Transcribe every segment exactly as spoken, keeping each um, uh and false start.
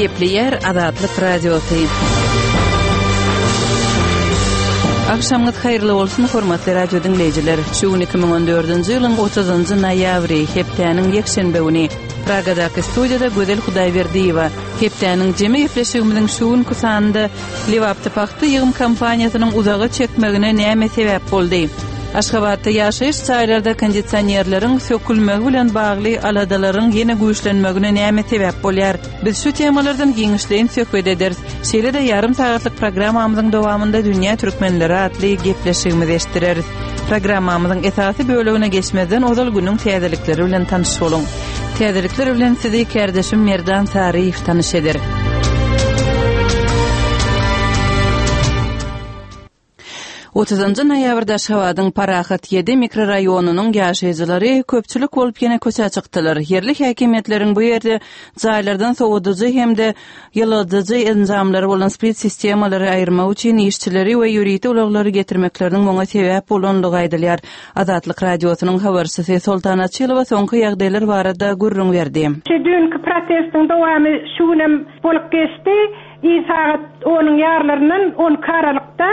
Gepleýär Azatlyk Radiosy. Agşamyňyz haýyrly bolsun, hormatly radio diňleýjiler. Şu gün iki müň on dördünji ýylyň otuzynjy noýabry, hepdäniň ýekşenbe güni. Pragadaky studiýada Gözel Hudaýberdiýewa. Hepdäniň jemi gepleşigimiziň şu günki sanynda Lebapda pagta ýygym kampaniýasynyň uzaga çekmegine näme sebäp boldy? Aşgabatda ýaşaýyş jaýlarda kondisionerleriň sökülmegi bilen bagly aladalaryň ýene güýçlenmegine näme sebäp bolýar? Biz şu temalardan giňişleýin söhbet ederis. Şeýle-de ýarym sagatlyk programmamyzyň dowamynda Dünýä türkmenleri atly gepleşigimizi eşitdireris. Programmamyzyň esasy bölegine geçmezden ozal günüň täzelikleri bilen tanyş boluň. Täzelikler bilen sizi kärdeşim Merdan Saryýew tanyş eder. Otuzynjy noýabrda Aşgabadyň Parahat ýedi mikroraýonynyň ýaşaýjylary köpçülik bolup ýene köçä çykdylar. Ýerli häkimiýetleriň bu ýerde jaýlardan sowadyjy hem-de ýyladyjy enjamlary bolan split sistemalary aýyrmak üçin işçileri we ýörite ulaglary getirmekleriniň muňa sebäp bolanlygy aýdylýar. Azatlyk Radiosynyň habarçysy Soltan Açylowa soňky ýagdaýlar barada gürrüň berdi. Şu düýnki protestiň dowamy şu günem bolup geçdi. Ir sagat onuň ýarlaryndan on iki aralykda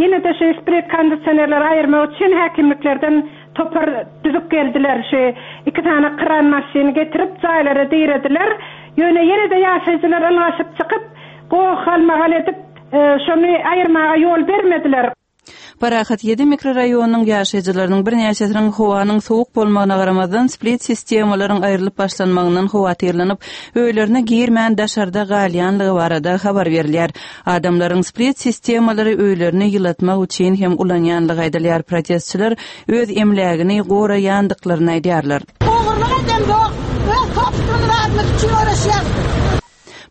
ýene-de şu split kondisionerleri aýyrmak üçin häkimliklerden topar düzüp geldiler. Şu iki sany kran maşyny getirip jaýlara dirediler. Ýöne ýene-de ýaşaýjylar ylgaşyp çykyp, goh-galmagal edip, e, şony aýyrmaga ýol bermediler. Parahat ýedi mikroraýonynyň ýaşaýjylarynyň birnäçesiniň howanyň sowuk bolmagyna garamazdan split sistemalaryň aýrylyp başlanmagyndan howatyrlanyp, öýlerine girmän daşarda galýanlygy barada habar berilýär. Adamlaryň split sistemalary öýlerini ýylatmak üçin hem ulanýanlygy aýdylýar. Protestçiler öz emlägini goraýandyklaryny aýdýarlar. Ogurlyk eden ýok. Öz toplumy zatymyz üçin uğraşýar.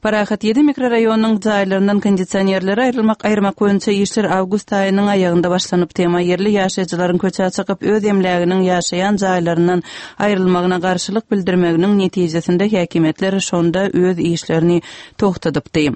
Parahat ýedi mikroraýonynyň jaýlaryndan kondisionerleri aýrylmak aýyrmak boýunça işler awgust aýynyň aýagynda başlanyp, tema ýerli ýaşaýjylaryň köçä çykyp öz emläginiň ýaşaýan jaýlaryndan aýrylmagyna garşylyk bildirmeginiň netijesinde häkimiýetler şonda öz işlerini togtadypdy.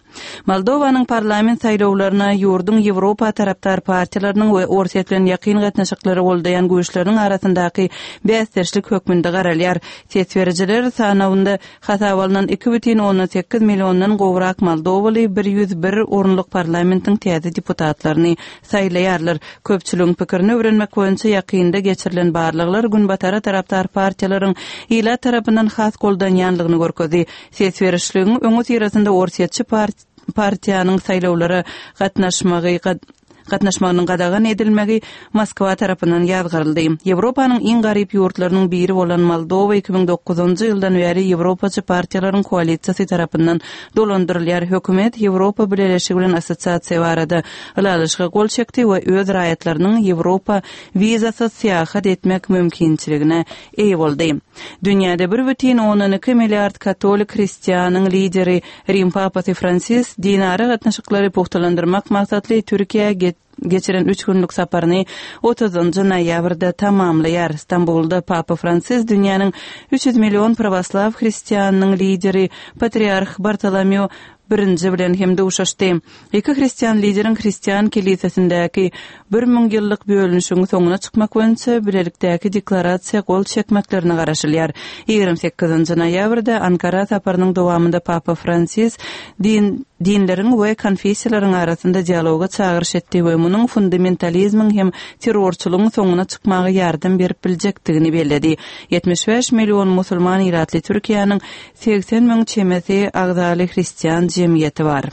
Moldowanyň parlament saýlawlaryna ýurduň Ýewropa tarapdar partiýalarynyň we Orsýet bilen ýakyn gatnaşyklary goldaýan güýçleriniň arasyndaky bäsdeşlik hökmünde garalýar. Ses berijiler sanawynda hasap alynan iki bütin ondan sekiz milliondan gowrak Moldowaly bir ýüz bir orunlyk parlamentiň täze deputatlaryny saýlaýarlar. Köpçüligiň pikirini öwrenmek boýunça ýakynda geçirilen barlaglar Günbatara tarapdar partiýalaryň ilat tarapyndan has goldanýanlygyny görkezdi. Ses berişligiň öňi syrasynda Orsýetçi part-, partiýanyň saýlawlara gatnaşmagy gad-, gatnaşmagynyň gadagan edilmegi Moskwa tarapyndan ýazgaryldy. Ýewropanyň iň garyp ýurtlarynyň biri bolan Moldowa iki müň dokuzynjy ýyldan bäri Ýewropaçy partiýalaryň koalisiýasy tarapyndan dolandyrylýar. Hökümet Ýewropa Bileleşigi bilen assosiasiýa barada ylalaşyga gol çekdi we öz raýatlarynyň Ýewropa wizasyz syýahat etmek mümkinçiligine eýe boldy. Dünýäde bir bütin ondan iki milliard katolik hristianyň lideri Rim Papasy Fransis dinara gatnaşyklary pugtalandyrmak maksatly Türkiýä get-, geçiren üç günlük saparyny otuzynjy noýabrda tamamlaýar. Stambulda Papa Fransis dünýäniň üç ýüz million pravoslaw hristianyň lideri Patriarh Bartolomeo birinji bilen hem duşuşdy. Iki hristian lideriň hristian kilisesindäki bir müň ýyllyk bölünişigiň soňuna çykmak boýunça bilelikdäki deklarasiýa gol çekmeklerine garaşylýar. Ýigrimi sekizinji noýabrda Ankara saparynyň dowamynda Papa Fransis din, dinleriň we konfessiýalaryň arasynda dialoga çagyryş etdi we munuň fundamentalizmiň hem terrorçylygyň soňuna çykmaga ýardam berip biljekdigini belledi. Ýetmiş bäş million musulman ilatly Türkiýäniň seksen müň çemesi agzaly hristian jemgyýeti bar.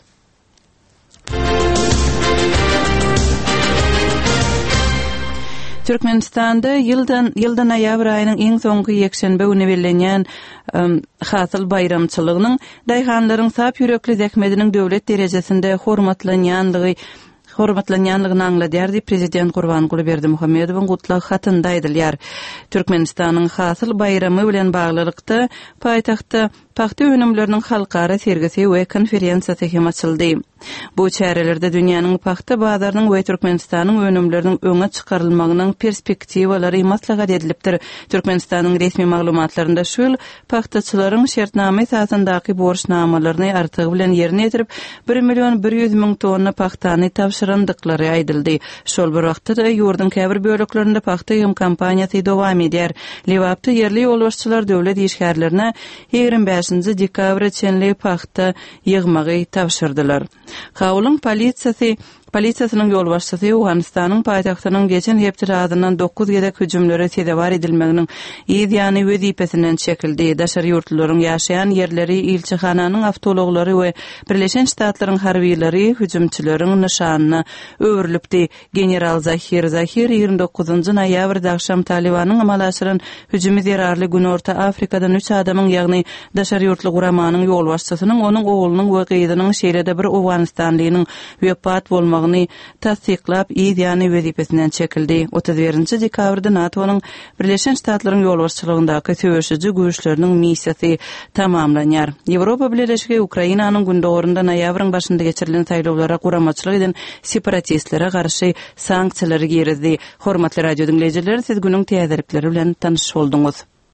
Türkmenistanda ýyldan, ýylda noýabr aýynyň iň soňky ýekşenbe güni bellenýän, ym, hasyl baýramçylygynyň daýhanlaryň sap ýürekli zähmetiniň döwlet derejesinde hormatlanýanlygy, hormatlanýanlygyny aňladýar diýip Prezident Gurbanguly Berdimuhamedowyň gutlag hatynda aýdylýar. Türkmenistanyň hasyl baýramy bilen baglylykda paýtagtda pagta önümleriniň halkara sergisi we konferensiýasy hem açyldy. Bu çärelerde dünýäniň pagta bazarynyň we Türkmenistanyň önümleriniň öňe çykarylmagynyň perspektiwalary maslahat edilipdir. Türkmenistanyň resmi maglumatlarynda şu ýyl pagtaçylaryň şertnama esasyndaky borçnamalaryny artygy bilen ýerine ýetirip, bir million bir ýüz müň tonna pagtany tabşyran tabşyrandyklary aýdyldy. Şol bir wagtda-da, ýurduň käbir böleklerinde pagta ýygym kampaniýasy dowam edýär. Lebapda ýerli ýolbaşçylar döwlet işgärlerine ýigrimi bäşinji dekabra çenli pagta ýygmagy tabşyrdylar. Kabulyň polisiýasy polisiýasynyň ýolbaşçysy Owganystanyň paýtagtynyň geçen hepdede azyndan dokuz gezek hüjümlere sezewar edilmeginiň yz ýany wezipesinden çekildi. Daşary ýurtlularyň ýaşaýan ýerleri, ilçihananyň awtoulaglary we Birleşen Ştatlaryň harbylary hüjümçileriň nyşanyna öwrülipdi. General Zahir Zahir ýigrimi dokuzynjy noýabrda agşam Talybanyň amala aşyran hüjümi zerarly Günorta Afrikadan üç adamyň, ýagny daşary ýurtly guramanyň ýolbaşçysynyň, onuň oglunyň we gyzynyň, şeýle-de bir owganystanlynyň wepat bolmagyny tassyklap, yz ýany wezipesinden çekildi. Otuz birinji dekabrda NATO-nyň Birleşen Ştatlaryň ýolbaşçylygyndaky söweşiji güýçleriniň missiýasy tamamlanýar. Ýewropa Bileleşigi Ukrainanyň gündogarynda noýabryň başynda geçirilen saýlawlara guramaçylyk eden separatistlere garşy sanksiýalary girizdi. Hormatly radio diňleýjiler, siz günüň täzelikleri bilen tanyş bolduňyz.